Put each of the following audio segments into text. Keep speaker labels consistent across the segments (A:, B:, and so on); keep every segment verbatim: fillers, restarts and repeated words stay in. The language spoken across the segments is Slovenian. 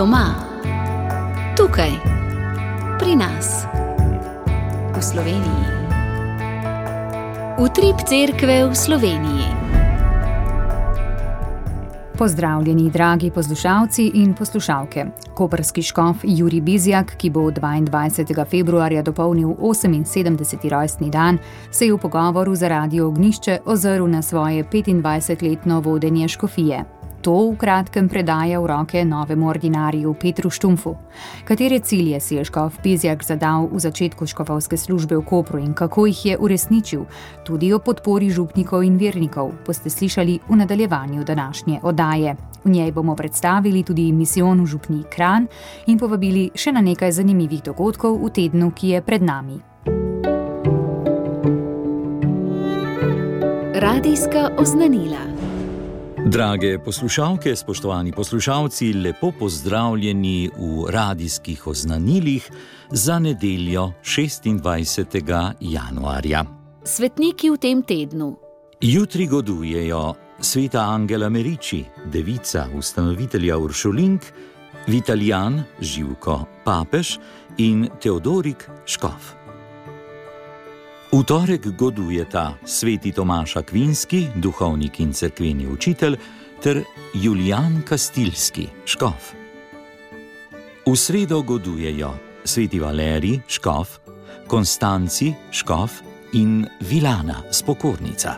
A: Doma, tukaj, pri nas, v Sloveniji. Utrip cerkve v Sloveniji.
B: Pozdravljeni, dragi poslušalci in poslušalke. Koprski škof Jurij Bizjak, ki bo dvaindvajsetega februarja dopolnil oseminsedemdeseti rojstni dan, se je v pogovoru za Radio Ognjišče ozrl na svoje petindvajsetletno vodenje škofije. To v kratkem predaja v roke novemu ordinariju Petru Štumpfu. Katere cilje si je škof Bizjak zadal v začetku škofovske službe v Kopru in kako jih je uresničil, tudi o podpori župnikov in vernikov, boste slišali v nadaljevanju današnje oddaje. V njej bomo predstavili tudi misijon v župniji Kranj in povabili še na nekaj zanimivih dogodkov v tednu, ki je pred nami.
A: Radijska oznanila.
C: Drage poslušalke, spoštovani poslušalci, lepo pozdravljeni v radijskih oznanilih za nedeljo šestindvajsetega januarja.
A: Svetniki v tem tednu.
C: Jutri godujejo sveta Angela Merici, devica ustanovitelja Uršulink, Vitalijan Živko papež in Teodorik škof. V torek godujeta sveti Tomaž Akvinski, duhovnik in cerkveni učitelj, ter Julijan Kastilski, škof. V sredo godujejo sveti Valerij, škof, Konstanci, škof in Vilana, spokornica.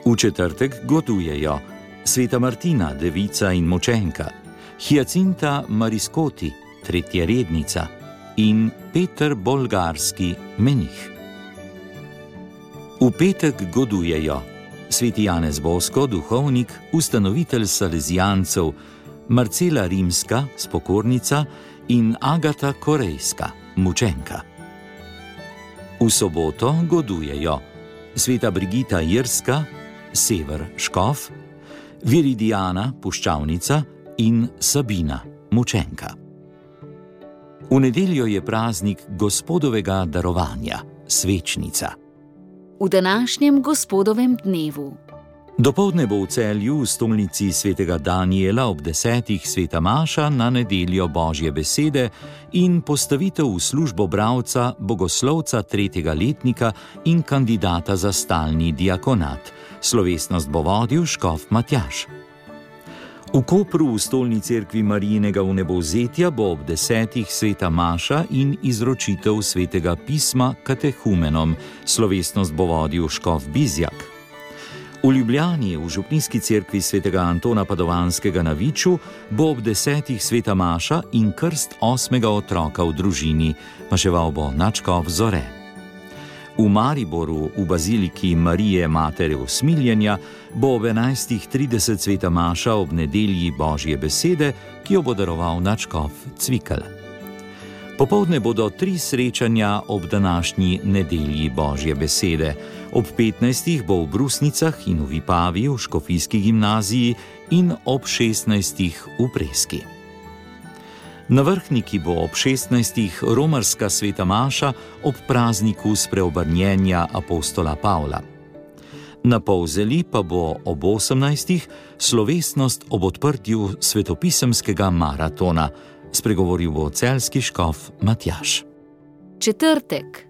C: V četrtek godujejo sveta Martina, devica in močenka, Hyacinta Mariskoti, tretja rednica in Peter Bolgarski, menih. V petek godujejo sveti Janez Bosko, duhovnik, ustanovitelj Salezijancev, Marcela Rimska, spokornica in Agata Korejska, mučenka. V soboto godujejo sveta Brigita Jerska, sever škof, Viridijana, puščavnica in Sabina, mučenka. V nedeljo je praznik Gospodovega darovanja, svečnica.
A: V današnjem Gospodovem dnevu.
C: Dopoldne bo v Celju v stolnici svetega Danijela ob desetih sveta maša na nedeljo Božje besede in postavitev v službo bralca, bogoslovca tretjega letnika in kandidata za stalni diakonat. Slovesnost bo vodil škof Matjaž. V Kopru v stolni cerkvi Marijinega vnebovzetja bo ob desetih sveta maša in izročitev svetega pisma katehumenom. Slovesnost bo vodil škof Bizjak. V Ljubljani v župnijski cerkvi svetega Antona Padovanskega na Viču bo ob desetih sveta maša in krst osmega otroka v družini. Maševal bo nadškof Zore. V Mariboru v baziliki Marije Matere Usmiljenja bo ob enajstih trideset sveta maša ob nedelji Božje besede, ki jo bo daroval nadškof Cvikl. Popoldne bodo tri srečanja ob današnji nedelji Božje besede. Ob petnajstih bo v Brusnicah in v Vipavi v škofijski gimnaziji in ob šestnajstih v Preski. Na Vrhniki bo ob šestnajstih romarska sveta maša ob prazniku spreobrnjenja apostola Pavla. Na Polzeli pa bo ob osemnajstih slovesnost ob odprtju svetopisemskega maratona. Spregovoril bo celjski škof Matjaž.
A: Četrtek.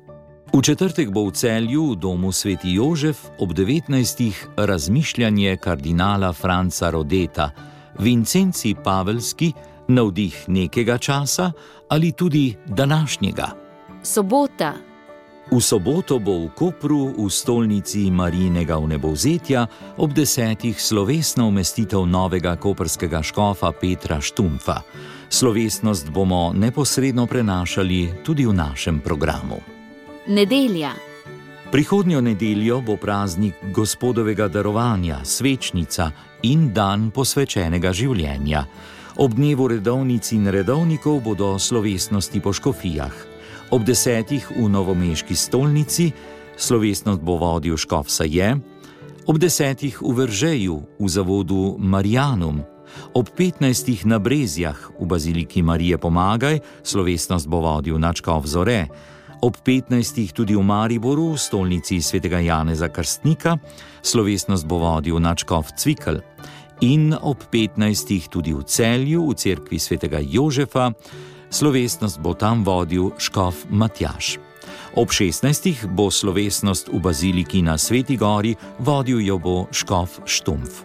C: V četrtek bo v Celju v domu sveti Jožef ob devetnajstih razmišljanje kardinala Franca Rodeta, Vincenci Pavelski, navdih nekega časa ali tudi današnjega.
A: Sobota.
C: V soboto bo v Kopru v stolnici Marijinega vnebovzetja ob desetih slovesna umestitev novega koprskega škofa Petra Štumpfa. Slovesnost bomo neposredno prenašali tudi v našem programu.
A: Nedelja.
C: Prihodnjo nedeljo bo praznik Gospodovega darovanja, svečnica in dan posvečenega življenja. Ob dnevu redovnic in redovnikov bodo slovesnosti po škofijah. Ob desetih v novomeški stolnici slovesnost bo vodil škof Saje, ob desetih v Veržeju v zavodu Marijanum, ob petnajstih na Brezjah v baziliki Marije Pomagaj slovesnost bo vodil nadškof Zore, ob petnajstih tudi v Mariboru v stolnici svetega Janeza Krstnika slovesnost bo vodil nadškof Cvikl in ob petnajstih tudi v Celju, v cerkvi svetega Jožefa. Slovesnost bo tam vodil škof Matjaž. Ob šestnajstih bo slovesnost v baziliki na Sveti gori, vodil jo bo škof Štumpf.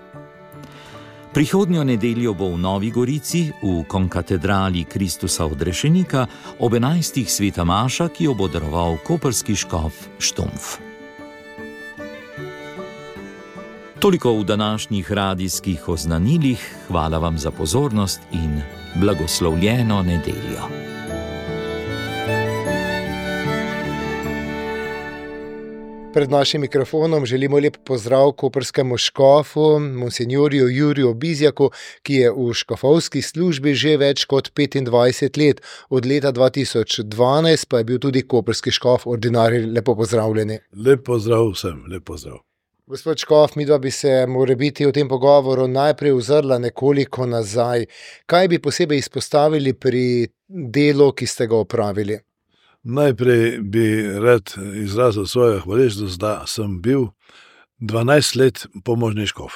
C: Prihodnjo nedeljo bo v Novi Gorici, v konkatedrali Kristusa odrešenika, ob enajstih sveta maša, ki jo bo daroval koprski škof Štumpf. Toliko v današnjih radijskih oznanilih. Hvala vam za pozornost in blagoslovljeno nedeljo.
D: Pred našim mikrofonom želimo lep pozdrav koprskemu škofu, monsinjorju Juriju Bizjaku, ki je v škofovski službi že več kot petindvajset let. Od leta dva tisoč dvanajst pa je bil tudi koprski škof ordinarij. Lepo pozdravljeni.
E: Lep pozdrav vsem, lep pozdrav.
D: Gospod škof, midva bi se morebiti v tem pogovoru najprej ozrla nekoliko nazaj. Kaj bi posebej izpostavili pri delu, ki ste ga opravili?
E: Najprej bi rad izrazil svojo hvaležnost, da sem bil dvanajst let pomožni škof.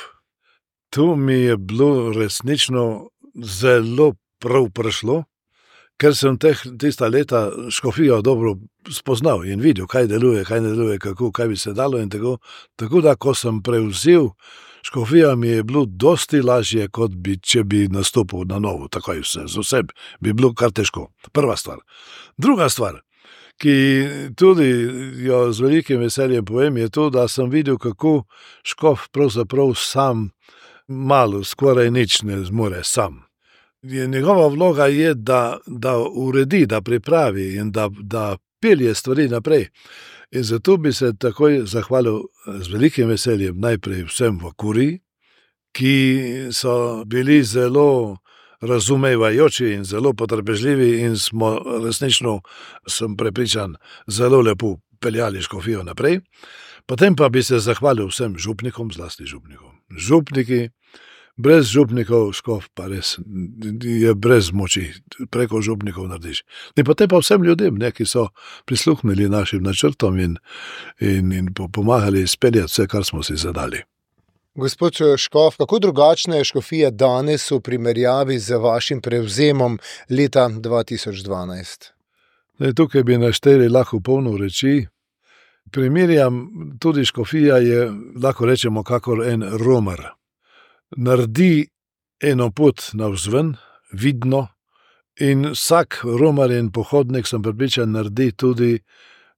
E: Tu mi je bilo resnično zelo prav prišlo, ker sem teh, tista leta škofijo dobro spoznal in videl, kaj deluje, kaj ne deluje, kako, kaj bi se dalo in tako. Tako da, ko sem prevzel škofijo, mi je bilo dosti lažje, kot bi, če bi nastopil na novo, takoj vse, z vsem, bi bilo kar težko. Prva stvar. Druga stvar, ki tudi jo z velikim veseljem povem, je to, da sem videl, kako škof pravzaprav sam malo, skoraj nič ne zmore sam. Njegova vloga je, da, da uredi, da pripravi in da, da pelje stvari naprej. In zato bi se takoj zahvalil z velikim veseljem najprej vsem v kuriji, ki so bili zelo razumevajoči in zelo potrpežljivi in smo resnično, sem prepričan, zelo lepo peljali škofijo naprej. Potem pa bi se zahvalil vsem župnikom, zlasti župnikom. Župniki, brez župnikov škof pa res je brez moči, preko župnikov narediš. In potem pa vsem ljudem, ne, ki so prisluhnili našim načrtom in, in, in pomagali speljati vse, kar smo si zadali.
D: Gospod škof, kako drugačna je škofija danes v primerjavi z vašim prevzemom leta dva tisoč dvanajst?
E: Ne, tukaj bi našteli lahko polno reči. Primerjam, tudi škofija je, lahko rečemo, kakor en romer. Naredi eno pot navzven, vidno, in vsak romer in pohodnik, sem prepričan, naredi tudi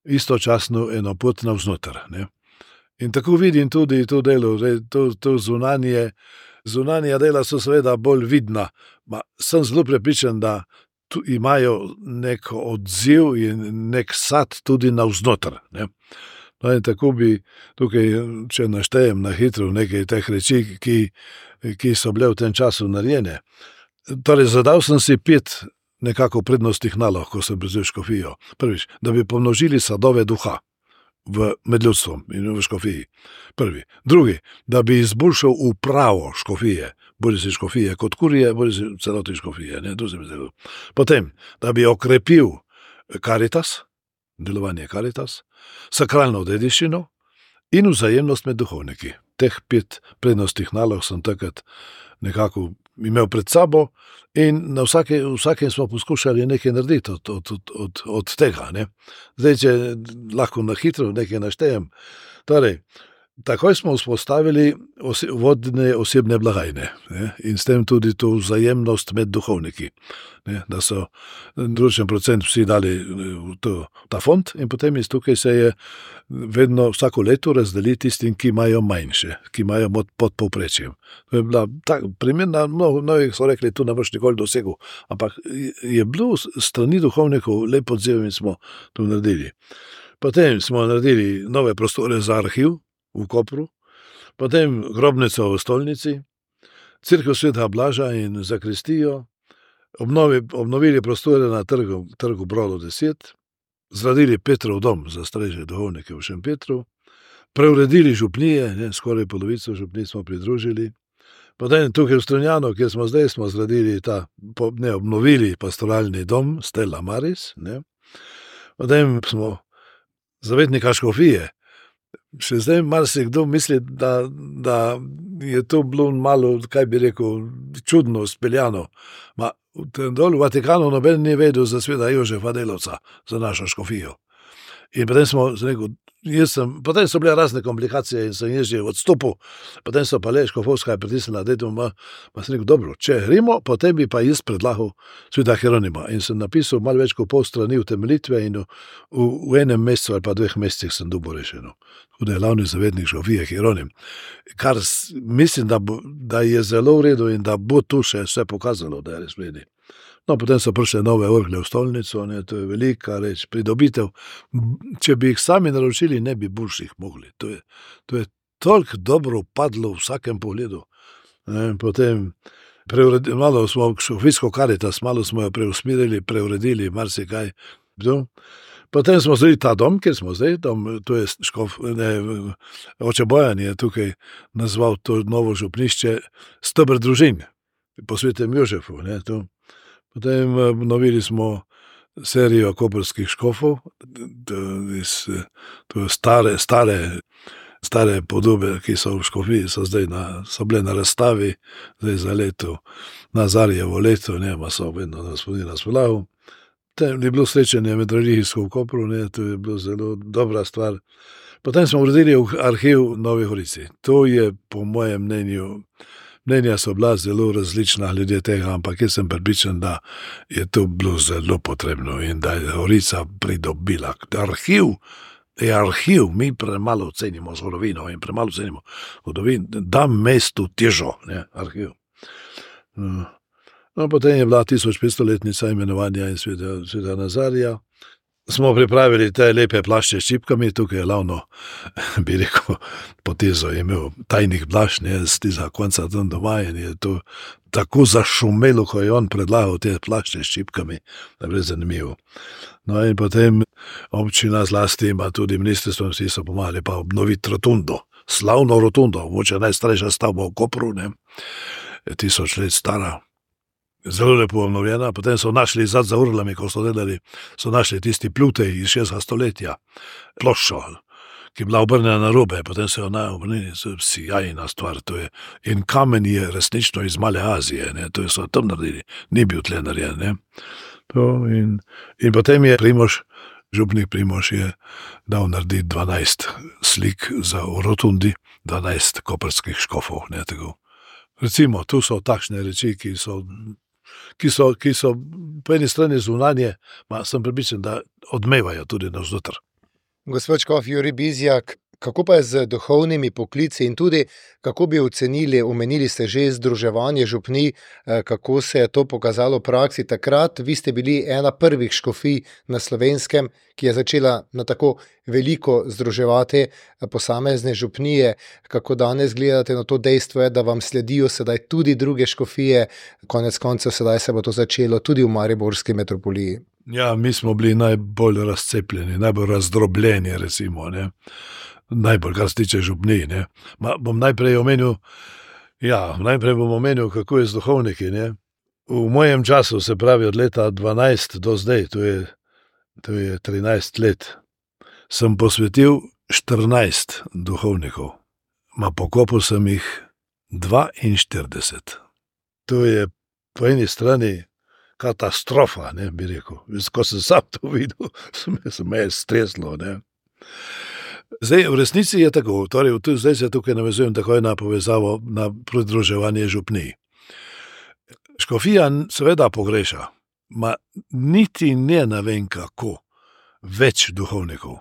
E: istočasno eno pot navznoter, ne. In tako vidim tudi to delo, to, to zunanje, zunanja dela so seveda bolj vidna, ma sem zelo prepričan, da tu imajo nek odziv in nek sad tudi navznoter, ne. No in tako bi tukaj, če naštejem na hitro nekaj teh reči, ki, ki so bile v tem času narejene. Torej, zadal sem si pet nekako prednostnih nalog, ko sem prevzel škofijo. Prvič, da bi pomnožili sadove duha v med ljudstvom in v škofiji. Prvi. Drugi, da bi izboljšal upravo škofije, bodi si škofije kot kurije, bodi si celoti škofije. Ne? Potem, da bi okrepil karitas, delovanje karitas, sakralno dediščino in vzajemnost med duhovniki. Teh pet prednostnih nalog sem takrat nekako imel pred sabo in na vsake, vsakem smo poskušali nekaj narediti od, od, od, od, od tega. Ne. Zdaj, če lahko na hitro nekaj naštejem. Torej, takoj smo vzpostavili ose, vodne osebne blagajne, ne, in s tem tudi to vzajemnost med duhovniki. Ne, da so določen procent vsi dali v to, ta fond in potem iz tukaj se je vedno vsako leto razdeli tistim, ki imajo manjše, ki imajo pod povprečjem. To je bila tak, primerna, mnogo, mnogi so rekli, tu ne boš nikoli dosegel, ampak je bilo strani duhovnikov lep odziv in smo to naredili. Potem smo naredili nove prostore za arhiv v Kopru, potem grobnico v stolnici, cerkev svetega Blaža in zakristijo, obnovi, obnovili prostore na trgu, trgu Brolo deset, zgradili Petrov dom za starejše duhovnike v Šempetru, preuredili župnije, ne, skoraj polovico župnij smo pridružili, potem tukaj v Strunjanu, kjer smo zdaj, smo zgradili ta, ne, obnovili pastoralni dom Stella Maris, ne, potem smo zavetnika škofije Še zdaj marsikdo misli, da, da je to bilo malo, kaj bi rekel, čudno speljano. Ma, dol v Vatikanu noben ni vedel za sveta Jožefa Delavca, za našo škofijo. In potem smo rekel, jaz sem, potem so bile razne komplikacije in sem jaz že odstopil, potem so pa le škofovska je pritisnila, da je to, ma, ma sem rekel, dobro, če gremo, potem bi pa jaz predlagal sveta Hieronima. In sem napisal malo več kot pol strani utemeljitve in v, v, v enem mesecu ali pa dveh mesecih sem dobil rešeno. Tako da je glavni zavednik škofije Hieronim. Kar mislim, da, bo, da je zelo v redu in da bo tu še vse pokazalo, da je res vredi. No, potem so prišle nove orgle v stolnico, ne, to je velika reč, pridobitev. Če bi jih sami naročili, ne bi boljših mogli. To je, to je toliko dobro padlo v vsakem pogledu. Ne, potem preuredili, malo smo škofijsko Karitas, malo smo jo preusmirili, preuredili, marsikaj. Potem smo zdaj ta dom, kjer smo zdaj, dom, to je škof, ne, oče Bojan je tukaj nazval to novo župnišče Steber družin, po svetem Jožefu, ne, to. Potem obnovili smo serijo koprskih škofov, to, to stare, stare, stare podobe, ki so v škofiji, so zdaj na, so bile na razstavi, zdaj za leto, Nazarjevo leto, ne, ma so vedno na spodina spolavu. Potem je bilo srečanje med religijsko v Kopru, ne, to je bilo zelo dobra stvar. Potem smo uredili arhiv Novi Gorici. To je po mojem mnenju, mnenja so bila zelo različna glede tega, ampak jaz sem prepričan, da je to bilo zelo potrebno in da je Gorica pridobila. Arhiv je arhiv, mi premalo cenimo zgodovino in premalo cenimo zgodovino, da mestu težo, ne, arhiv. No. No, potem je bila tisoč petstoletnica imenovanja in sveta, sveta Nazarja. Smo pripravili te lepe plašče s čipkami, tukaj je glavno, bi rekel, potezo je imel tajnih blaš, ne, z tega konca tam doma in je to tako zašumelo, ko je on predlagal te plašče s čipkami, da je bilo zanimivo. No in potem občina zlasti ima tudi ministrstvo, vsi so pomagali pa obnoviti rotundo, slavno rotundo, moče najstarejša stavba v Kopru, ne, je tisoč let stara. Zelo lepo obnovljena, potem so našli zad za urlami, ko so delali, so našli tisti plutej iz šestega stoletja, ploščo, ki je bila obrnjena na robe, potem se je ona obrnili, sjajna stvar, to je, in kamen je resnično iz Male Azije, ne, to je so tam naredili, ni bil tle narejen, ne. To in, in potem je Primož, župnik Primož je dal narediti dvanajst slik za rotundi, dvanajst koprskih škofov, ne, tako. Recimo, tu so takšne reči, ki so Ki so, ki so po eni strani zunanje, ma sem prepričan, da odmevajo tudi navznoter.
D: Gospod škof Jurij Bizjak, kako pa je z duhovnimi poklici in tudi kako bi ocenili, omenili ste že združevanje župnij, kako se je to pokazalo v praksi takrat? Vi ste bili ena prvih škofij na Slovenskem, ki je začela na tako veliko združevati posamezne župnije. Kako danes gledate na to dejstvo je, da vam sledijo sedaj tudi druge škofije, konec koncev sedaj se bo to začelo tudi v mariborski metropoliji?
E: Ja, mi smo bili najbolj razcepljeni, najbolj razdrobljeni, recimo, ne. Najbolj, kar se tiče župnij, ne. Ma, bom najprej omenil, ja, najprej bom omenil, kako je z duhovniki, ne. V mojem času, se pravi od leta dvanajst do zdaj, to je, to je trinajst let, sem posvetil štirinajst duhovnikov. Ma pokopil sem jih dvainštirideset. To je po eni strani katastrofa, ne, bi rekel. Ko sem sam to videl, se me je streslo, ne. Zdaj, v resnici je tako, torej, zdaj se tukaj navezujem takoj na povezavo, na pridruževanje župnij. Škofija seveda pogreša, ma niti ne navem kako več duhovnikov.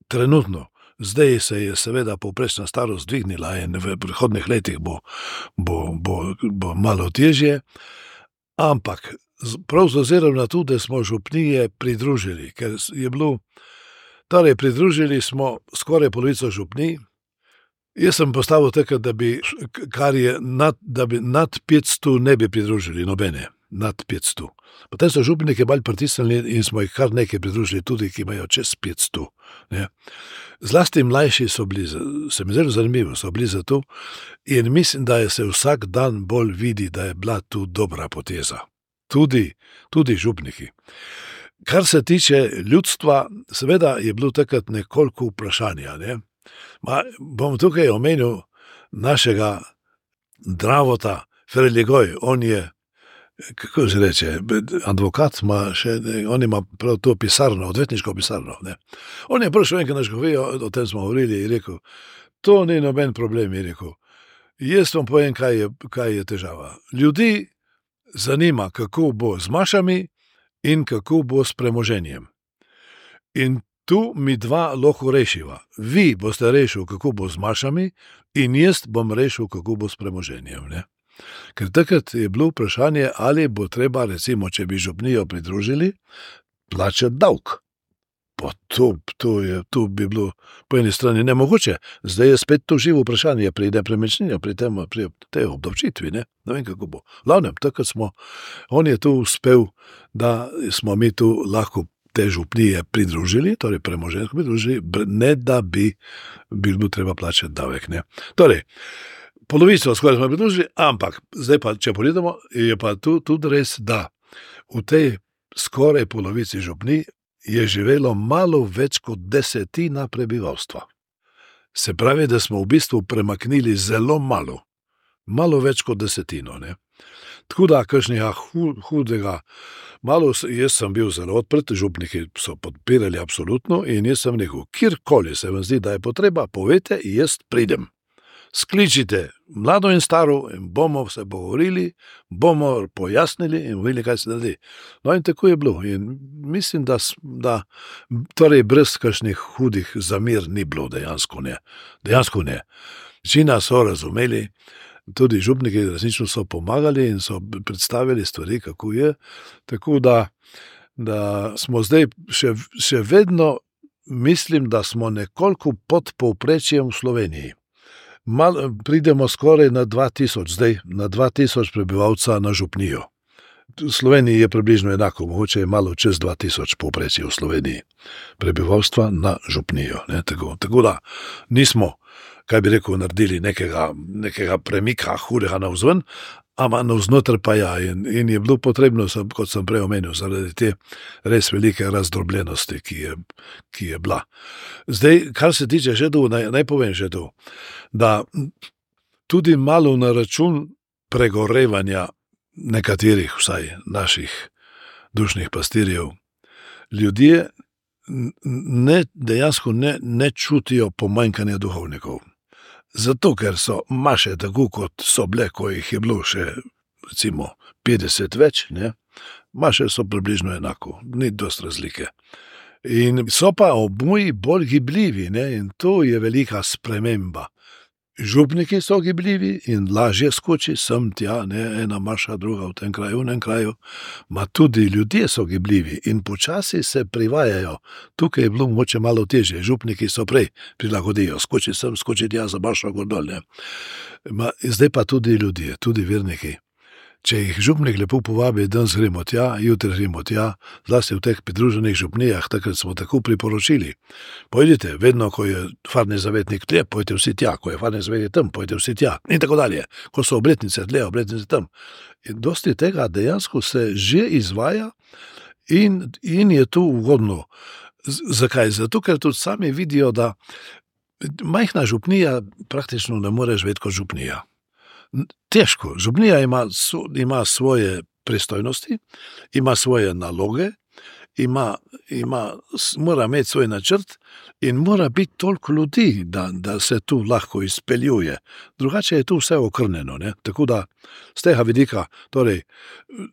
E: Trenutno, zdaj se je seveda povprečna starost dvignila in v prihodnih letih bo, bo, bo, bo malo težje, ampak prav z ozirom na to, da smo župnije pridružili, ker je bilo, torej pridružili smo skoraj polovico župnij. Jaz sem postavil tako, da bi, kar je nad, da bi nad petsto ne bi pridružili nobene, nad petsto. Potem so župnike bolj pritisnili in smo jih kar nekaj pridružili tudi, ki imajo čez petsto. Ne. Zlasti mlajši so bili, se mi zelo zanimivo, so bili za to in mislim, da je se vsak dan bolj vidi, da je bila tu dobra poteza. Tudi, tudi župniki. Kar se tiče ljudstva, seveda je bilo takrat nekoliko vprašanja, ne? Ma, bom tukaj omenil našega Dravota Ferligoj, on je, kako se reče, advokat, ima še, on ima prav to pisarno, odvetniško pisarno. Ne. On je prišel enkrat na škofijo, o tem smo govorili in rekel, to ni noben problem, je rekel. Jaz vam povem, kaj je, kaj je težava. Ljudi zanima, kako bo z mašami in kako bo s premoženjem. In tu mi dva lahko rešiva. Vi boste rešil, kako bo z mašami in jaz bom rešil, kako bo s premoženjem. Ne? Ker takrat je bilo vprašanje, ali bo treba, recimo, če bi župnijo pridružili, plačati davek. Pa to, to, je, to bi bilo po eni strani nemogoče. Zdaj je spet to živo vprašanje pri nepremičnini, pri, tem, pri tej obdavčitvi. Ne? Ne vem, kako bo. Glavnem, takrat smo, on je tu uspel, da smo mi tu lahko te župnije pridružili, torej premoženjsko pridružili, ne da bi bilo treba plačati davek. Ne? Torej, polovico skoraj smo pridružili, ampak zdaj pa, če pogledamo, je pa tu tudi res, da v tej skoraj polovici župnij je živelo malo več kot desetina prebivalstva. Se pravi, da smo v bistvu premaknili zelo malo, malo več kot desetino. Ne? Tako da, kakšnega hudega, malo, jaz sem bil zelo odprt, župniki so podpirali absolutno in jaz sem rekel, kjerkoli se vam zdi, da je potreba, povejte, jaz pridem. Skličite mlado in staro in bomo se pogovorili, bomo pojasnili in videli, kaj se naredi. No in tako je bilo. In mislim, da, da torej brez kakšnih hudih zamir ni bilo, dejansko ne. Dejansko ne. Večina so razumeli, tudi župniki resnično so pomagali in so predstavili stvari, kako je. Tako da, da smo zdaj še, še vedno, mislim, da smo nekoliko pod povprečjem v Sloveniji. Mal, pridemo skoraj na dva tisoč, zdaj na dva tisoč prebivalca na župnijo. V Sloveniji je približno enako, mogoče je malo čez dva tisoč povprečje v Sloveniji prebivalstva na župnijo. Ne, tako, tako da nismo, kaj bi rekel, naredili nekega, nekega premika hudega navzven, ampak navznoter pa ja, in, in je bilo potrebno, sem, kot sem prej omenil, zaradi te res velike razdrobljenosti, ki je, ki je bila. Zdaj, kar se tiče še tu, naj, naj povem še tu, da tudi malo na račun pregorevanja nekaterih, vsaj naših dušnih pastirjev, ljudje ne, dejansko ne, ne čutijo pomanjkanja duhovnikov. Zato, ker so maše tako, kot so bile, ko jih je bilo še, recimo, petdeset več, ne? Maše so približno enako, ni dosti razlike. In so pa oboji bolj gibljivi, ne? In to je velika sprememba. Župniki so gibljivi in lažje skoči sem tja, ne, ena maša, druga v tem kraju, v tem kraju, ma tudi ljudje so gibljivi in počasi se privajajo. Tukaj je bilo moče malo težje, župniki so prej prilagodijo, skoči sem, skoči tja za mašo gor dol, ne. Ma, zdaj pa tudi ljudje, tudi verniki. Če jih župnik lepo povabi, danes gremo tja, jutri gremo tja, zlasti v teh pridruženih župnijah, takrat smo tako priporočili. Pojdite, vedno, ko je farni zavetnik tle, pojdite vsi tja, ko je farni zavetnik tam, pojdite vsi tja in tako dalje. Ko so obletnice tle, obletnice tam. In dosti tega dejansko se že izvaja in, in je to ugodno. Z, zakaj? Zato, ker tudi sami vidijo, da majhna župnija praktično ne more živeti kot župnija. Težko. Župnija ima, ima svoje pristojnosti, ima svoje naloge, ima, ima, mora imeti svoj načrt in mora biti toliko ljudi, da, da se tu lahko izpeljuje. Drugače je tu vse okrnjeno. Ne? Tako da z tega vidika, torej,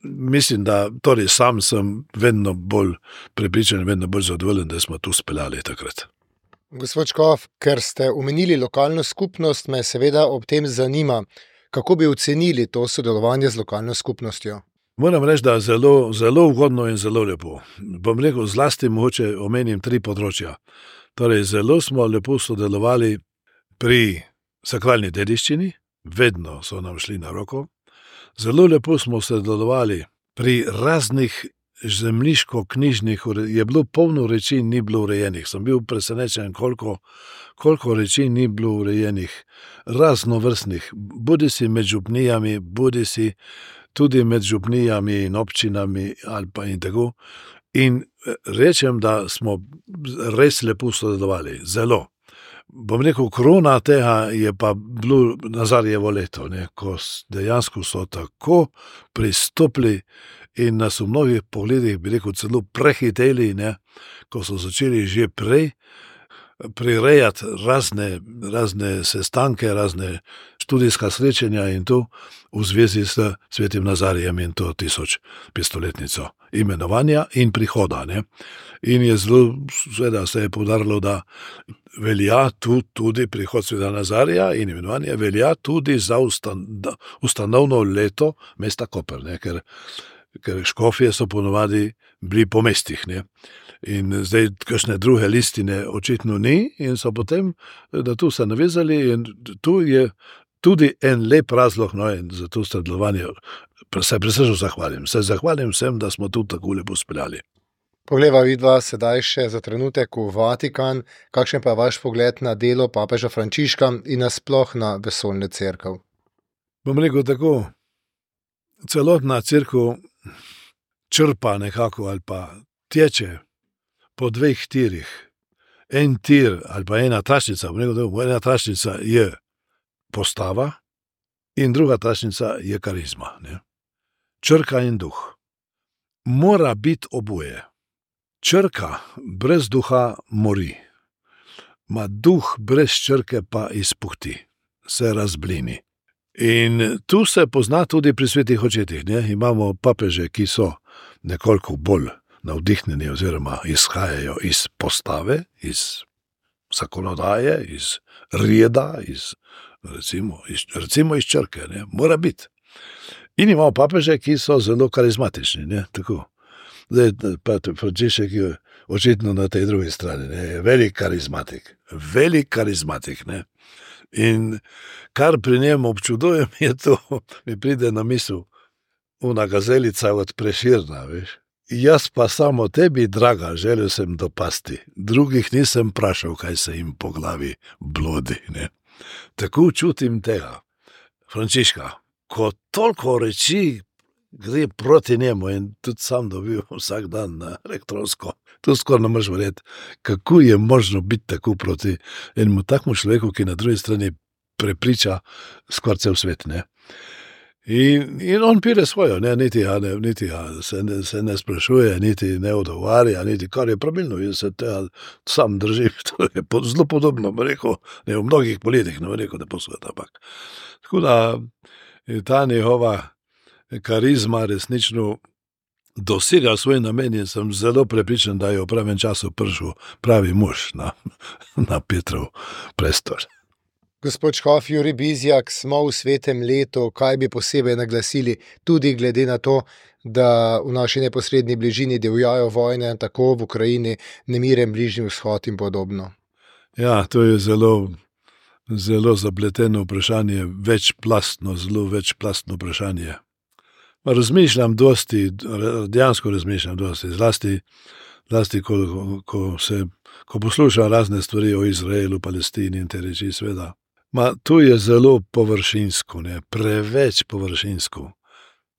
E: mislim, da torej sam sem vedno bolj prepričan, vedno bolj zadovoljen, da smo tu speljali takrat.
D: Gospod Škof, ker ste omenili lokalno skupnost, me seveda ob tem zanima, kako bi ocenili to sodelovanje z lokalno skupnostjo?
E: Moram reči, da zelo, zelo ugodno in zelo lepo. Bom rekel, zlasti mogoče omenim tri področja. Torej, zelo smo lepo sodelovali pri sakralni dediščini, vedno so nam šli na roko. Zelo lepo smo sodelovali pri raznih zemljiško-knjižnih, je bilo polno reči, ni bilo urejenih. Sem bil presenečen, koliko, koliko reči ni bilo urejenih, raznovrstnih, bodi si med župnijami, bodi si tudi med župnijami in občinami ali pa in tako. In rečem, da smo res lepo sodelovali, zelo. bom rekel, korona tega je pa bilo Nazarjevo leto, ne, ko dejansko so tako pristopili in nas v mnogih pogledih, bi rekel, celo prehiteli, ne, ko so začeli že prej prirejati razne, razne sestanke, razne študijska srečanja in to v zvezi s svetim Nazarijem in to tisoč petstoletnico imenovanja in prihoda. Ne. In je zelo, seveda se je poudarilo, da velja tu tudi prihod sveta Nazarija in imenovanje velja tudi za ustan, ustanovno leto mesta Koper, ne, ker, ker škofje so ponovadi bili po mestih, ne. In zdaj kakšne druge listine očitno ni in so potem, da tu se navezali in tu je tudi en lep razlog, no, in za to sodelovanje se presrečno zahvalim. Se zahvalim vsem, da smo tu tako lepo speljali.
D: Poglejva vidva sedaj še za trenutek v Vatikan. Kakšen pa je vaš pogled na delo papeža Frančiška in nasploh na vesoljno cerkev?
E: Bom rekel tako, celotna cerkev črpa nekako ali pa teče po dveh tirih. En tir ali pa ena tračnica, ena tračnica je postava in druga tračnica je karizma. Ne? Črka in duh. Mora biti oboje. Črka brez duha mori. Ma duh brez črke pa izpuhti, se razblini. In tu se pozna tudi pri svetih očetih. Ne? Imamo papeže, ki so nekoliko bolj navdihnjeni oziroma izhajajo iz postave, iz zakonodaje, iz reda, iz, recimo, iz, recimo iz črke, ne, mora biti. In imamo papeže, ki so zelo karizmatični, ne, tako. Zdaj, pa Frančišek je očitno na tej drugi strani, ne, je velik karizmatik, velik karizmatik, ne. In kar pri njem občudujem je to, mi pride na misel, una gazelica od Preširna, veš. Jaz pa samo tebi, draga, želel sem dopasti. Drugih nisem prašal, kaj se jim po glavi blodi. Ne? Tako čutim tega, Frančiška, ko toliko reči gre proti njemu in tudi sam dobil vsak dan na elektronsko. To skoraj ne moreš verjeti, kako je možno biti tako proti enemu takmu človeku, ki na drugi strani prepriča skoraj cel svet. Ne? In, in on pire svojo, ne, niti, ja, ne, niti ja, se, ne, se ne sprašuje, niti ne odgovarja, niti kar je pravilno, in se tega sam drži, to je po, zelo podobno, rekel, ne v mnogih politikih, ne rekel, da posvet, ampak. Tako da ta njihova karizma resnično dosega svoj namen in sem zelo prepričan, da je v pravem času prišel pravi mož na, na Petrov prestol.
D: Gospod škof Jurij Bizjak, smo v svetem letu, kaj bi posebej naglasili, tudi glede na to, da v naši neposredni bližini divjajo vojne, tako v Ukrajini, nemiren Bližnji vzhod in podobno.
E: Ja, to je zelo, zelo zapleteno vprašanje, večplastno, zelo večplastno vprašanje. Razmišljam dosti, dejansko razmišljam dosti, zlasti, zlasti ko, ko, se, ko poslušam razne stvari o Izraelu, Palestini in te reči, sveda. Ma, tu je zelo površinsko, ne, preveč površinsko,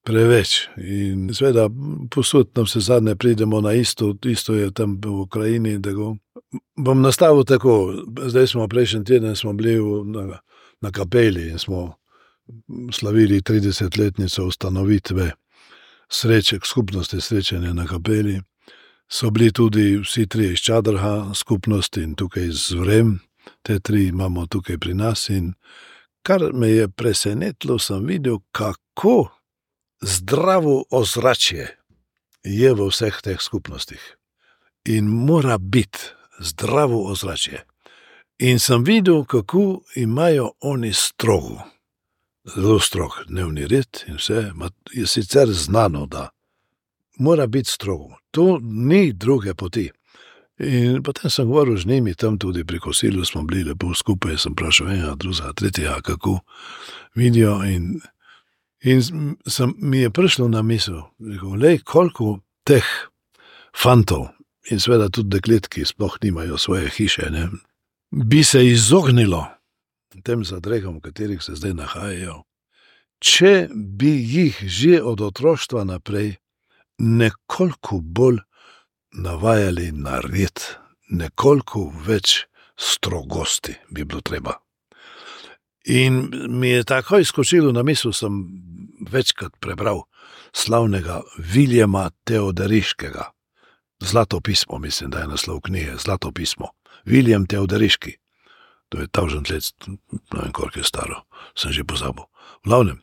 E: preveč. In seveda, posod nam se zadnje pridemo na isto, isto je tam v Ukrajini. Tako. Bom nastavil tako, zdaj smo prejšnji teden smo bili v, na, na kapeli in smo slavili tridesetletnico ustanovitve sreče, skupnosti srečanja na kapeli. So bili tudi vsi tri iz Čadrha skupnosti in tukaj z Vrem. Te tri imamo tukaj pri nas in kar me je presenetilo, sem videl, kako zdravo ozračje je v vseh teh skupnostih. In mora biti zdravo ozračje. In sem videl, kako imajo oni strogo, zelo strog dnevni red in vse, je sicer znano, da mora biti strogo. To ni druge poti. In potem sem govoril z njimi, tam tudi pri kosilu smo bili lepo skupaj, sem vprašal enega, drugega, tretjega, kako vidijo in, in sem, mi je prišlo na misel, rekel, lej, koliko teh fantov in seveda tudi deklet, ki sploh nimajo svoje hiše, ne, bi se izognilo tem zadregam, v katerih se zdaj nahajajo, če bi jih že od otroštva naprej nekoliko bolj navajali na red, nekoliko več strogosti bi bilo treba. In mi je takoj skočilo na misel, sem večkrat prebral slavnega Viljama Teoderiškega. Zlato pismo, mislim, da je naslov knjige, Zlato pismo. Viljem Teoderiški. To je tavžent let, ne vem, koliko je staro, sem že pozabil. V glavnem.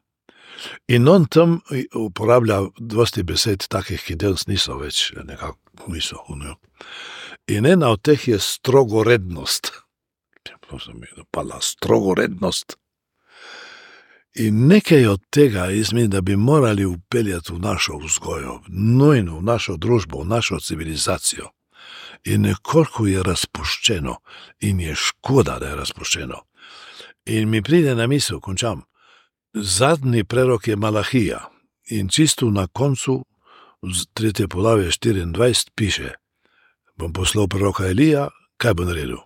E: In on tam uporablja dosti besed takih, ki danes niso več nekako niso. In ena od teh je strogorednost. To se mi je dopala, strogorednost. In nekaj od tega izmen, da bi morali upeljati v našo vzgojo, nujno v našo družbo, v našo civilizacijo. In nekoliko je razpuščeno in je škoda, da je razpuščeno. In mi pride na misel, končam, zadnji prerok je Malahija in čisto na koncu, tretje poglavje štiriindvajset, piše, bom poslal preroka Elija, kaj bo naredil?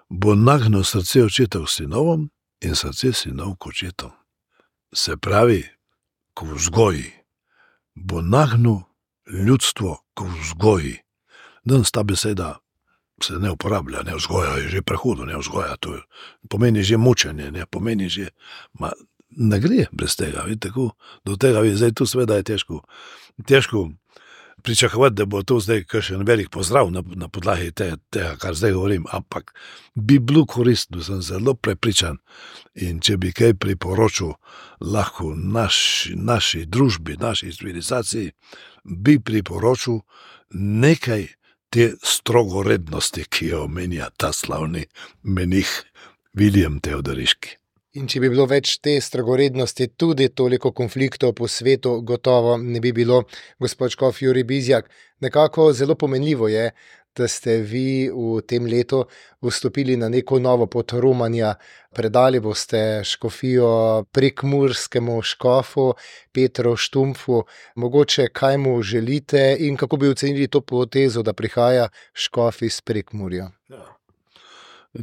E: Bo nagnil srce očetov sinovom in srce sinov k očetom. Se pravi, k vzgoji. Bo nagnil ljudstvo k vzgoji. Danes ta beseda se ne uporablja, ne vzgoja je že prehudo, ne vzgoja, to je, pomeni že mučenje, ne pomeni že, ma ne gre brez tega, vidite, tako, do tega, zdaj tu seveda je težko, težko pričakovati, da bo to zdaj kakšen velik pozdrav na, na podlagi te, tega, kar zdaj govorim, ampak bi bilo koristno, sem zelo prepričan in če bi kaj priporočil lahko naš, naši družbi, naši civilizaciji, bi priporočil nekaj te strogorednosti, ki jo omenja ta slavni menih Viljem Teoderiški.
D: In če bi bilo več te strogorednosti, tudi toliko konfliktov po svetu, gotovo ne bi bilo. Gospod škof Jurij Bizjak, nekako zelo pomenljivo je, da ste vi v tem letu vstopili na neko novo pot romanja. Predali boste škofijo prekmurskemu škofu Petru Štumpfu. Mogoče kaj mu želite in kako bi ocenili to potezo, da prihaja škof iz Prekmurja?
E: Ja.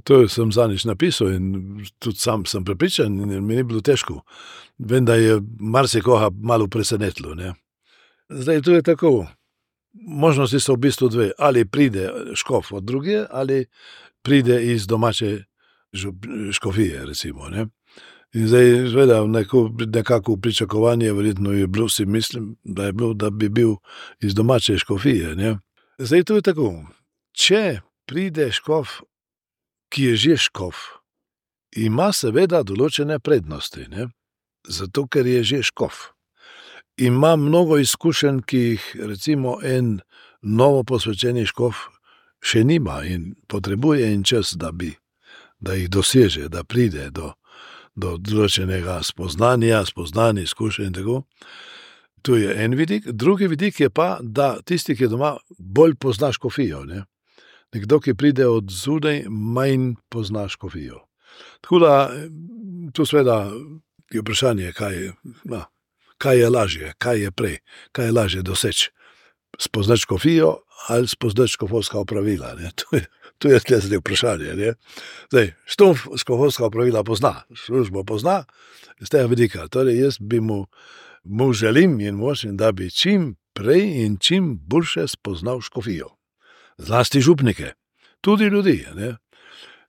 E: To sem zadnjič napisal in tudi sam sem prepričan in mi ni bilo težko. Vem, da je marsikoga malo presenetilo, ne. Zdaj, to je tako, možnosti so v bistvu dve, ali pride škof od druge, ali pride iz domače škofije, recimo, ne. In zdaj, zveda, neko, nekako pričakovanje, verjetno je bilo, si mislim, da je bilo, da bi bil iz domače škofije, ne. Zdaj, to je tako, če pride škof, ki je že škof, ima seveda določene prednosti, ne? Zato, ker je že škof. Ima mnogo izkušenj, ki jih recimo en novo posvečeni škof še nima in potrebuje en čas, da bi, da jih doseže, da pride do, do določenega spoznanja, spoznanja, izkušenj in tako. To je en vidik. Drugi vidik je pa, da tisti, ki doma bolj pozna škofijo, ne? Nekdo, ki pride od zunaj, manj pozna škofijo. Tako da, to seveda je vprašanje, kaj, na, kaj je lažje, kaj je prej, kaj je lažje doseči. Spoznati škofijo ali spoznati škofovska opravila. Ne? To je, to je zdaj vprašanje. Ne? Zdaj, Štumpf škofovska opravila pozna, službo pozna, z tega vidika. Torej, jaz bi mu, mu želim in močim, da bi čim prej in čim boljše spoznal škofijo. Zlasti župnike, tudi ljudi, ne.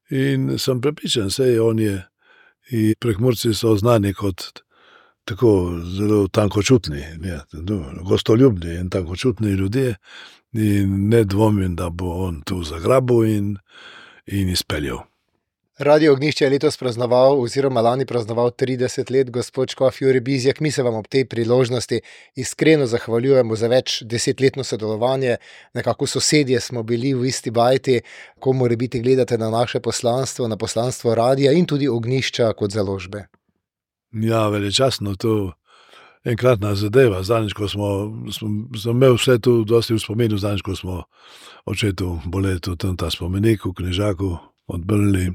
E: In sem prepričan, sej on je, in Prekmurci so znani kot tako zelo tankočutni, ne, gostoljubni in tankočutni ljudje in ne dvomim, da bo on tu zagrabil in, in izpeljal.
D: Radio Ognjišče je letos praznoval oziroma lani praznoval trideset let, gospod škof Jurij Bizjak. Mi se vam ob tej priložnosti iskreno zahvaljujemo za več desetletno sodelovanje. Nekako sosedje smo bili v isti bajti, ko morebiti gledate na naše poslanstvo, na poslanstvo radia in tudi Ognjišča kot založbe.
E: Ja, veličastno to enkratna zadeva. Zadnjič, ko smo, smo, smo imeli vse tu dosti v spominu, zadnjič, ko smo očetu boletu tam ta spomenik v Knežaku odbrli.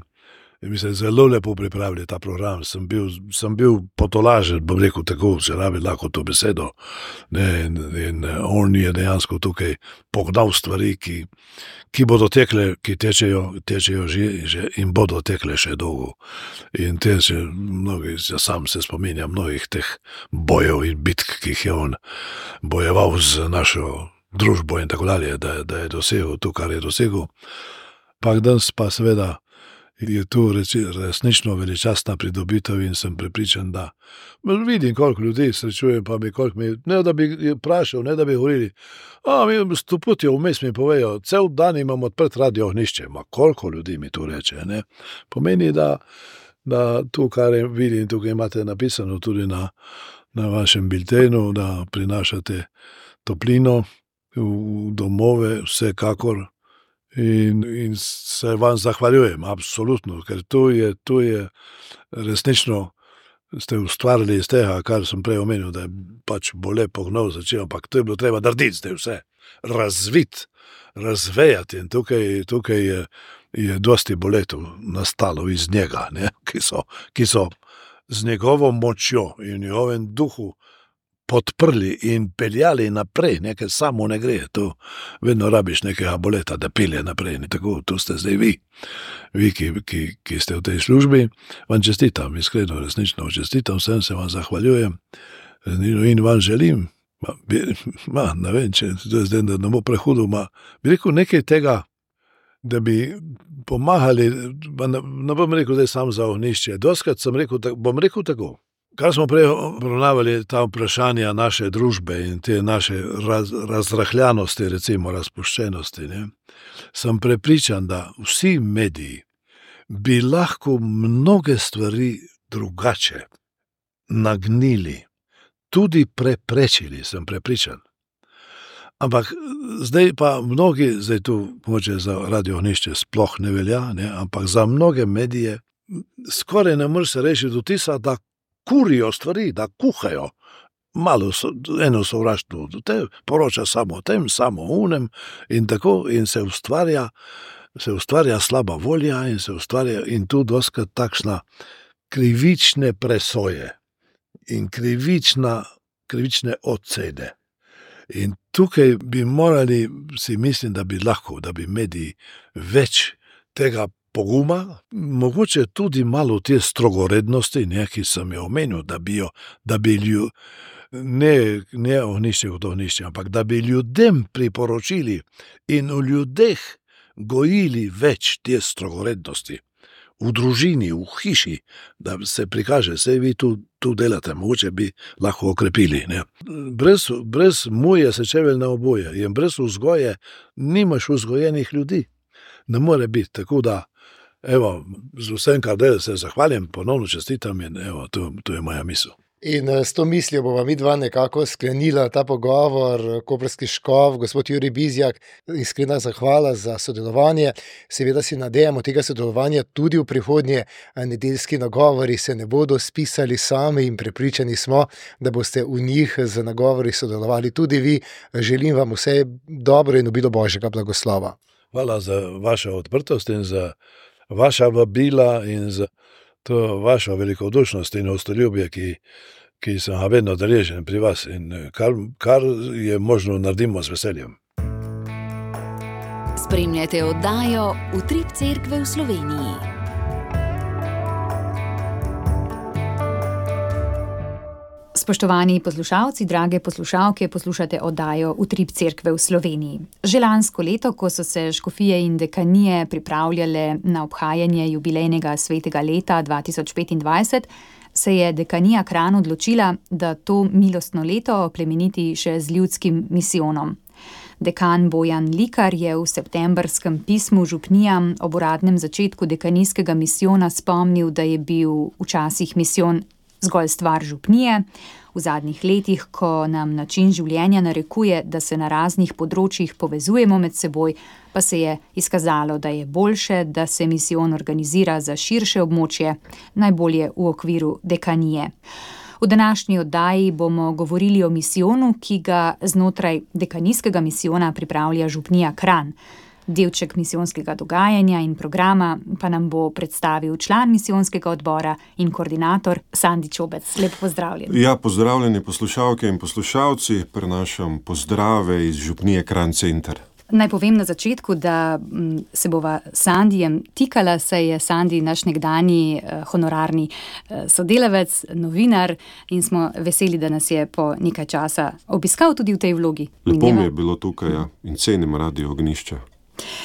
E: In mi se zelo lepo pripravili ta program, sem bil, sem bil potolažen, bom rekel tako, če rabi lahko to besedo. Ne, in, in on je dejansko tukaj pognal stvari, ki, ki bodo tekle, ki tečejo, tečejo že, že in bodo tekle še dolgo. In te se mnogi, ja sam se spominjam mnogih teh bojev in bitk, ki jih je on bojeval z našo družbo in tako dalje, da, da je dosegel to, kar je dosegel. Pak danes pa seveda je to reči, resnično veličastna pridobitev in sem prepričan, da vidim, koliko ljudi srečujem, pa bi koliko mi, ne da bi vprašal, ne da bi govorili, a mi sto put je vmes mi povejo, cel dan imam odprt radio ohnišče, ma koliko ljudi mi to reče, ne. Pomeni, da, da to, kar vidim, tukaj imate napisano tudi na, na vašem biltenu, da prinašate toplino v domove, vsekakor. In, in se vam zahvaljujem, absolutno, ker to je, to je resnično, ste ustvarili iz tega, kar sem prej omenil, da je pač bo lepo gnov začel, ampak to je bilo treba narediti, zdaj vse, razviti, razvejati in tukaj, tukaj je, je dosti boletov nastalo iz njega, ne? Ki so, ki so z njegovo močjo in njegovem duhu podprli in peljali naprej, nekaj samo ne gre, to vedno rabiš nekega boleta, da pelje naprej, ne tako, to ste zdaj vi, vi, ki, ki, ki ste v tej službi, vam čestitam, iskreno, resnično čestitam, vsem se vam zahvaljujem in vam želim, ma, bi, ma, ne vem, če to je zdaj, da ne bo prehudo, ma, bi rekel nekaj tega, da bi pomagali, ne, ne bom rekel zdaj sam za ohnišče, doskrat sem rekel, bom rekel tako, kar smo prej obravnavali ta vprašanja naše družbe in te naše raz, razrahljanosti, recimo razpuščenosti, ne, sem prepričan, da vsi mediji bi lahko mnoge stvari drugače nagnili, tudi preprečili, sem prepričan. Ampak zdaj pa mnogi, zdaj tu mogoče za radio ohnišče sploh ne velja, ne, ampak za mnoge medije skoraj ne moreš se reči do tisa, da kurijo stvari, da kuhajo. Malo so, eno sovraštvo, te poroča samo o tem, samo o unem in tako in se ustvarja, se ustvarja slaba volja in se ustvarja in tu doskrat takšna krivične presoje in krivična, krivične ocene. In tukaj bi morali, si mislim, da bi lahko, da bi mediji več tega poguma, mogoče tudi malo te strogorednosti, ne, ki sem jo omenil, da bi jo, da bi ljud, ne, ne ohnišče kot ohnišče, ampak da bi ljudem priporočili in v ljudeh gojili več te strogorednosti. V družini, v hiši, da se prikaže, sej vi tu, tu delate, mogoče bi lahko okrepili. Ne. Brez, brez muje se čevelj na oboje in brez vzgoje nimaš vzgojenih ljudi. Ne more biti, tako da evo, z vsem, kar del se zahvalim, ponovno čestitam in evo, to, to je moja misel.
D: In s to mislijo bova midva nekako sklenila ta pogovor, koprski škof, gospod Jurij Bizjak, iskrena zahvala za sodelovanje. Seveda si nadejamo tega sodelovanja tudi v prihodnje, nedeljski nagovori se ne bodo spisali sami in prepričani smo, da boste v njih z nagovori sodelovali tudi vi. Želim vam vse dobro in obilo Božjega blagoslova.
E: Hvala za vašo odprtost in za vaša vabila in za to vašo velikodušnost in ostoljubje, ki, ki sem ga vedno deležen pri vas in kar, kar je možno, naredimo z veseljem.
A: Spremljate oddajo Utrip cerkve v Sloveniji.
B: Spoštovani poslušalci, drage poslušalke, poslušate oddajo Utrip cerkve v Sloveniji. Že lansko leto, ko so se škofije in dekanije pripravljale na obhajanje jubilejnega svetega leta dva tisoč petindvajset, se je dekanija Kranj odločila, da to milostno leto plemeniti še z ljudskim misijonom. Dekan Bojan Likar je v septembrskem pismu župnijam ob uradnem začetku dekanijskega misijona spomnil, da je bil včasih misijon zgolj stvar župnije. V zadnjih letih, ko nam način življenja narekuje, da se na raznih področjih povezujemo med seboj, pa se je izkazalo, da je boljše, da se misijon organizira za širše območje, najbolje v okviru dekanije. V današnji oddaji bomo govorili o misijonu, ki ga znotraj dekanijskega misijona pripravlja župnija Kranj. Delček misijonskega dogajanja in programa pa nam bo predstavil član misijonskega odbora in koordinator Sandi Čobec. Lep pozdravljen.
F: Ja, pozdravljeni poslušalke in poslušalci, prenašam pozdrave iz župnije Kranj center.
B: Naj povem na začetku, da se bova s Sandijem tikala, saj je Sandi naš nekdanji honorarni sodelavec, novinar in smo veseli, da nas je po nekaj časa obiskal tudi v tej vlogi.
F: Lepo mi je bilo tukaj, ja, in cenim radio Ognjišča.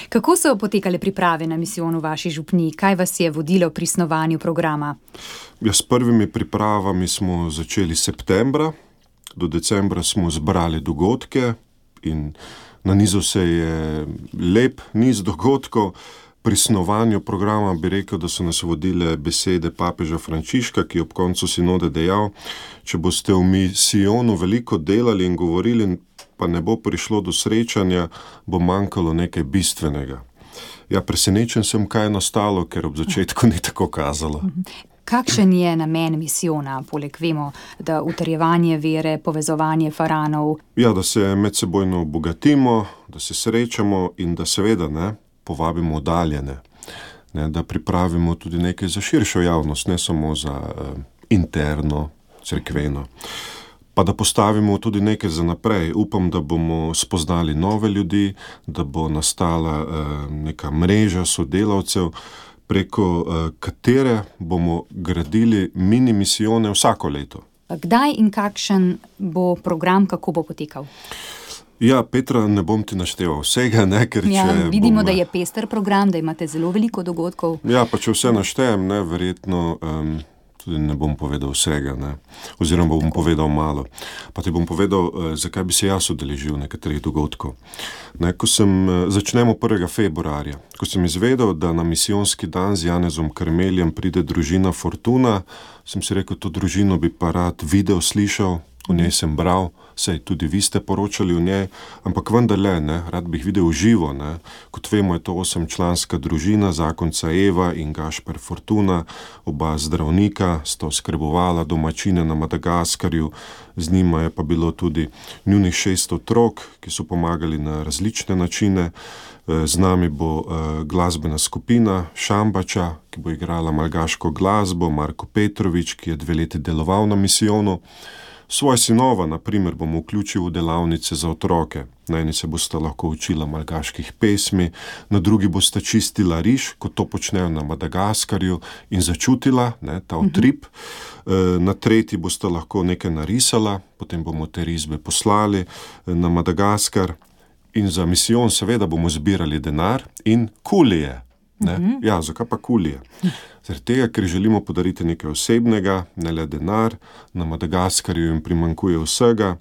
B: Kako so potekale priprave na misijon v vaši župniji? Kaj vas je vodilo pri snovanju programa?
F: Ja, s prvimi pripravami smo začeli septembra, do decembra smo zbrali dogodke in nanizal se je lep niz dogodkov. Pri snovanju programa bi rekel, da so nas vodile besede papeža Frančiška, ki je ob koncu sinode dejal: če boste v misijonu veliko delali in govorili, pa ne bo prišlo do srečanja, bo manjkalo nekaj bistvenega. Ja, presenečen sem, kaj je nastalo, ker ob začetku ni tako kazalo.
B: Kakšen je namen misijona, poleg vemo, da utrjevanje vere, povezovanje faranov?
F: Ja, da se medsebojno obogatimo, da se srečamo in da seveda ne, povabimo oddaljene, ne, da pripravimo tudi nekaj za širšo javnost, ne samo za uh, interno, cerkveno. Pa da postavimo tudi nekaj za naprej. Upam, da bomo spoznali nove ljudi, da bo nastala uh, neka mreža sodelavcev, preko uh, katere bomo gradili mini misijone vsako leto.
B: Kdaj in kakšen bo program, kako bo potekal?
F: Ja, Petra, ne bom ti našteval vsega, ne, ker
B: ja,
F: če
B: vidimo,
F: bom,
B: da je pester program, da imate zelo veliko dogodkov.
F: Ja, pa če vse naštejem, ne, verjetno um, tudi ne bom povedal vsega, ne, oziroma bom povedal malo. Pa ti bom povedal, uh, zakaj bi se jaz udeležil nekaterih dogodkov. Ne, ko sem, uh, začnemo prvega februarja, ko sem izvedel, da na misijonski dan z Janezom Karmeljem pride družina Fortuna, sem si rekel, to družino bi pa rad videl, slišal, o njej sem bral, saj tudi vi ste poročali o njej, ampak vendarle, ne, rad bi jih videl živo, ne. Kot vemo, je to osemčlanska družina, zakonca Eva in Gašper Fortuna, oba zdravnika, sta oskrbovala domačine na Madagaskarju, z njima je pa bilo tudi njunih šest otrok, ki so pomagali na različne načine. Z nami bo glasbena skupina Šambača, ki bo igrala malgaško glasbo, Marko Petrovič, ki je dve leti deloval na misijonu. Svoje sinova, na primer, bom vključil v delavnice za otroke. Na eni se bosta lahko učila malgaških pesmi, na drugi bosta čistila riž, kot to počnejo na Madagaskarju, in začutila, ne, ta utrip. Na tretji bosta lahko nekaj narisala, potem bomo te risbe poslali na Madagaskar in za misijon seveda bomo zbirali denar in kulije. Ne? Uh-huh. Ja, zakaj pa kulije? Zaradi tega, ker želimo podariti nekaj osebnega, ne le denar, na Madagaskarju jim primanjkuje vsega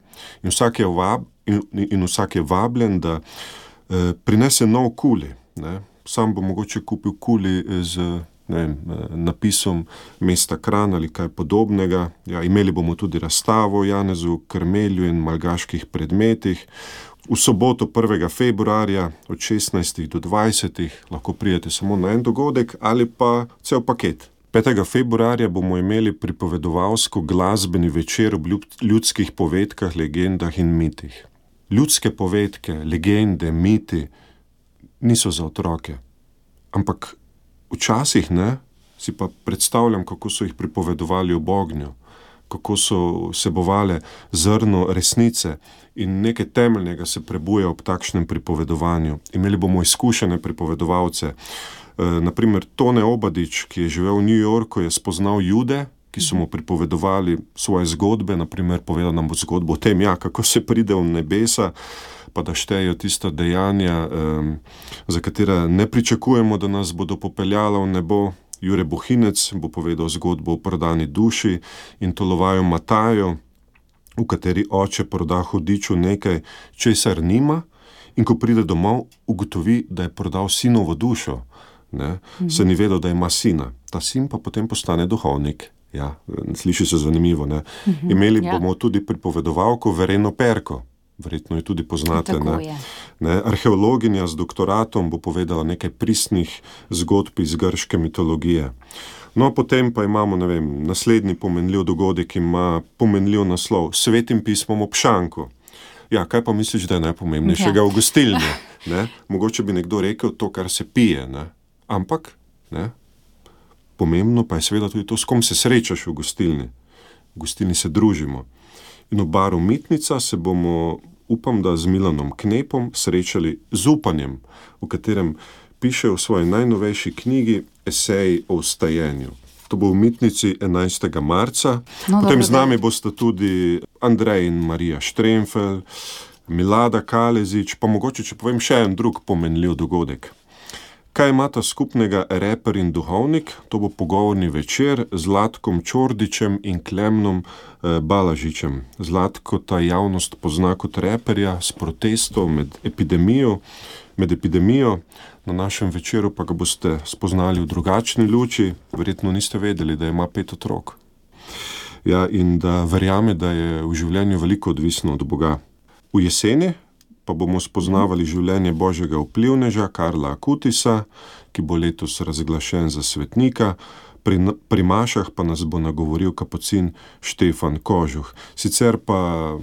F: in vsak je, vab, in, in vsak je vabljen, da eh, prinese nov kuli. Ne? Sam bo mogoče kupil kuli z ne vem, napisom mesta Kranj ali kaj podobnega. Ja, imeli bomo tudi razstavo o Janezu Karmelju in malgaških predmetih. V soboto prvega februarja od šestnajstih do dvajsetih lahko pridete samo na en dogodek ali pa cel paket. petega februarja bomo imeli pripovedovalsko glasbeni večer ob ljudskih povedkah, legendah in mitih. Ljudske povedke, legende, miti niso za otroke, ampak včasih ne, si pa predstavljam, kako so jih pripovedovali ob ognju, kako so vsebovale zrno resnice in nekaj temeljnega se prebuja ob takšnem pripovedovanju. Imeli bomo izkušene pripovedovalce. E, naprimer, Tone Obadič, ki je živel v New Yorku, je spoznal Jude, ki so mu pripovedovali svoje zgodbe, naprimer povedal nam bo zgodbo o tem, ja, kako se pride v nebesa, pa da štejejo tista dejanja, um, za katera ne pričakujemo, da nas bodo popeljala v nebo. Jure Bohinec bo povedal zgodbo o prodani duši in Tolovaju Mataju, v kateri oče proda hudiču nekaj, česar nima, in ko pride domov, ugotovi, da je prodal sinovo dušo. Ne? Mm. Se ni vedel, da ima sina. Ta sin pa potem postane duhovnik. Ja, sliši se zanimivo. Ne? Mm-hmm, Imeli ja. bomo tudi pripovedovalko Vereno Perko. Verjetno jo tudi poznate. Ne? Ne? Arheologinja z doktoratom bo povedala nekaj pristnih zgodb iz grške mitologije. No, potem pa imamo, ne vem, naslednji pomenljiv dogodek ima pomenljiv naslov Svetim pismom ob šanku. Ja, kaj pa misliš, da je najpomembnejšega ja. v gostilni? Ne? Mogoče bi nekdo rekel to, kar se pije, ne? Ampak ne? Pomembno pa je seveda tudi to, s kom se srečaš v gostilni. V gostilni se družimo. In v baru Mitnica se bomo, upam, da z Milanom Knepom srečali z upanjem, v katerem piše v svoji najnovejši knjigi esej o vstajenju. To bo v Mitnici enajstega marca. No, potem z nami bosta tudi Andrej in Marija Štremfel, Milada Kalezič, pa mogoče, če povem še en drug pomenljiv dogodek. Kaj imata skupnega reper in duhovnik? To bo pogovorni večer z Zlatkom Čordičem in Klemnom eh, Balažičem. Zlatko ta javnost pozna kot reperja s protestom med epidemijo, med epidemijo. Na našem večeru pa ga boste spoznali v drugačni luči. Verjetno niste vedeli, da ima pet otrok. Ja, in da verjame, da je v življenju veliko odvisno od Boga. V jeseni pa bomo spoznavali življenje božjega vplivneža Karla Akutisa, ki bo letos razglašen za svetnika. Pri, pri mašah pa nas bo nagovoril kapucin Štefan Kožuh. Sicer pa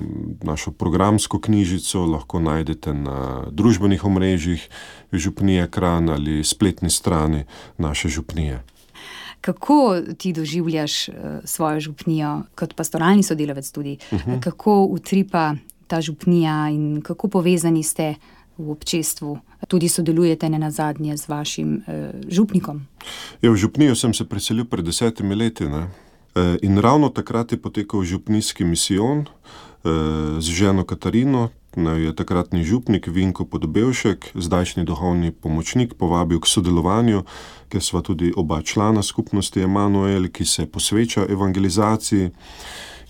F: našo programsko knjižico lahko najdete na družbenih omrežjih Župnije Kranj ali spletni strani naše župnije.
B: Kako ti doživljaš svojo župnijo kot pastoralni sodelavec tudi? Uh-huh. Kako utripa ta župnija in kako povezani ste v občestvu? Tudi sodelujete nenazadnje z vašim eh, župnikom.
F: Ja, v župnijo sem se preselil pred desetimi leti, ne? E, in ravno takrat je potekal župnijski misijon e, z ženo Katarino. Je takratni župnik Vinko Podobevšek, zdajšnji duhovni pomočnik, povabil k sodelovanju, ker sva tudi oba člana skupnosti Emanuel, ki se posveča evangelizaciji.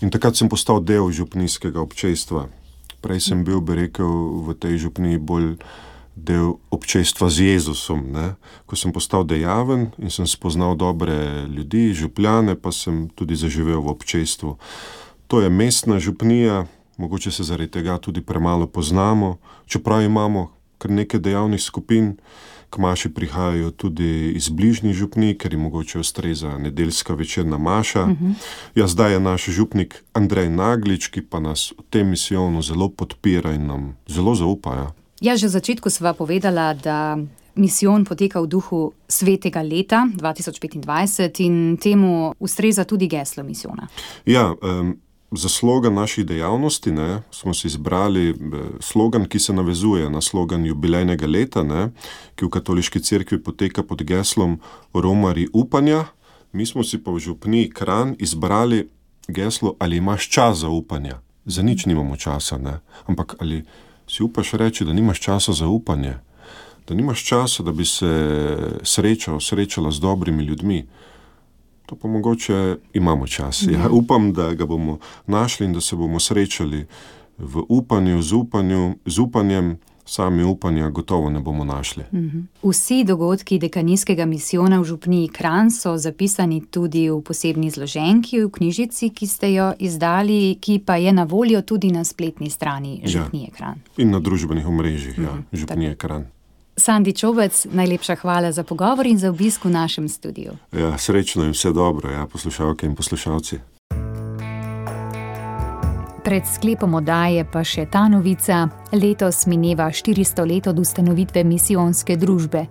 F: In takrat sem postal del župnijskega občestva. Prej sem bil, bi rekel, v tej župniji bolj del občestva z Jezusom. Ne? Ko sem postal dejaven in sem spoznal dobre ljudi, župljane, pa sem tudi zaživel v občestvu. To je mestna župnija, mogoče se zaradi tega tudi premalo poznamo, čeprav imamo kar nekaj dejavnih skupin. K maši prihajajo tudi iz bližnjih župnij, ker jim mogoče ustreza nedeljska večerna maša. Uh-huh. Ja, zdaj je naš župnik Andrej Naglič, ki pa nas v tem misijonu zelo podpira in nam zelo zaupa. Ja,
B: ja že v začetku sva povedala, da misijon poteka v duhu svetega leta dva tisoč petindvajset in temu ustreza tudi geslo misijona.
F: Ja, um, za slogan naših dejavnosti ne, smo si izbrali slogan, ki se navezuje na slogan jubilejnega leta, ne, ki v katoliški cerkvi poteka pod geslom Romarji upanja. Mi smo si pa v župniji Kranj izbrali geslo Ali imaš čas za upanje. Za nič nimamo časa, ne, ampak ali si upaš reči, da nimaš časa za upanje, da nimaš časa, da bi se srečal, srečala z dobrimi ljudmi. To pa mogoče imamo čas. Ja, upam, da ga bomo našli in da se bomo srečali v upanju, z, upanju, z upanjem, sami upanja gotovo ne bomo našli.
B: Mhm. Vsi dogodki dekanijskega misijona v župniji Kranj so zapisani tudi v posebni zloženki v knjižici, ki ste jo izdali, ki pa je na voljo tudi na spletni strani župnije Kranj.
F: Ja, in na družbenih omrežjih, mhm. ja, župnije Kranj.
B: Sandi Čobec, najlepša hvala za pogovor in za obisk v našem studiu.
F: Ja, srečno in vse dobro, ja, poslušalke in poslušalci.
B: Pred sklepom oddaje pa še ta novica. Letos mineva štiristo let od ustanovitve misijonske družbe.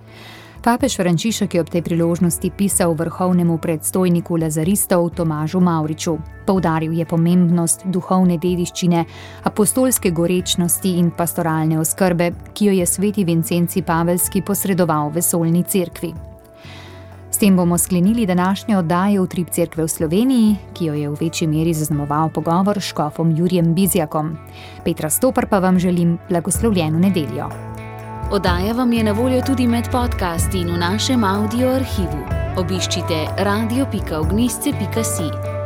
B: Papež Frančišek je ob tej priložnosti pisal vrhovnemu predstojniku lazaristov Tomažu Mavriču. Poudaril je pomembnost duhovne dediščine, apostolske gorečnosti in pastoralne oskrbe, ki jo je sveti Vincenci Pavelski posredoval vesoljni cerkvi. S tem bomo sklenili današnje oddaje Utrip cerkve v Sloveniji, ki jo je v večji meri zaznamoval pogovor s škofom Jurijem Bizjakom. Petra Stopar pa vam želim blagoslovljeno nedeljo.
A: Oddaja vam je na voljo tudi med podcasti in v našem audio arhivu. Obiščite radio pika ognjišče pika si.